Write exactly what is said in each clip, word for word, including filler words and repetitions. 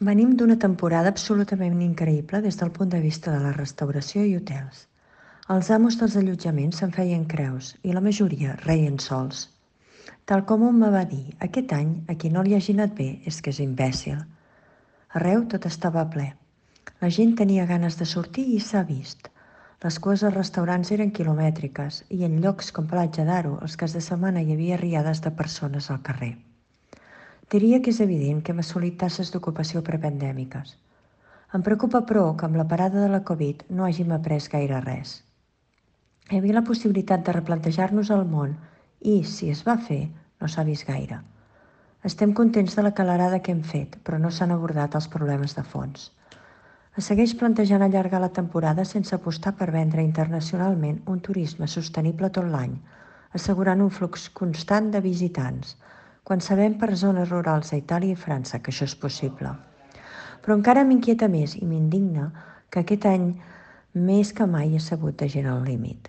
Venim d'una temporada absolutament increïble des del punt de vista de la restauració i hotels. Els amos dels allotjaments se'n feien creus i la majoria reien sols. Tal com un me va dir, aquest any a qui no li hagi anat bé és que és imbècil. Arreu tot estava ple. La gent tenia ganes de sortir i s'ha vist. Les cues als restaurants eren quilomètriques i en llocs com Platja d'Aro els caps de setmana hi havia riades de persones al carrer. Diria que és evident que hem assolit tasses d'ocupació prepandèmiques. Em preocupa, però, que amb la parada de la Covid no hàgim après gaire res. Hi havia la possibilitat de replantejar-nos el món i, si es va fer, no s'ha vist gaire. Estem contents de la calarada que hem fet, però no s'han abordat els problemes de fons. Es segueix plantejant allargar la temporada sense apostar per vendre internacionalment un turisme sostenible tot l'any, assegurant un flux constant de visitants, quan sabem per zones rurals a Itàlia i França que això és possible. Però encara m'inquieta més i m'indigna que aquest any més que mai ha sabut de gent al límit.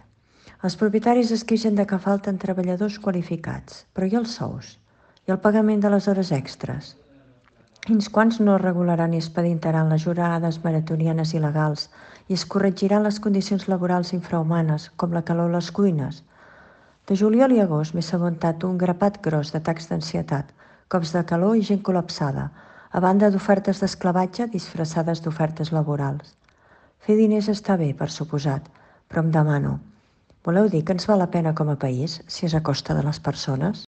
Els propietaris es queixen de que falten treballadors qualificats, però i els sous? I el pagament de les hores extres? Fins quants no regularan i expeditaran les jornades maratonianes il·legals i es corregiran les condicions laborals infrahumanes, com la calor a les cuines? De juliol i agost m'he assabentat un grapat gros d'atacs d'ansietat, cops de calor i gent col·lapsada, a banda d'ofertes d'esclavatge disfressades d'ofertes laborals. Fer diners està bé, per suposat, però em demano, voleu dir que ens val la pena com a país si és a costa de les persones?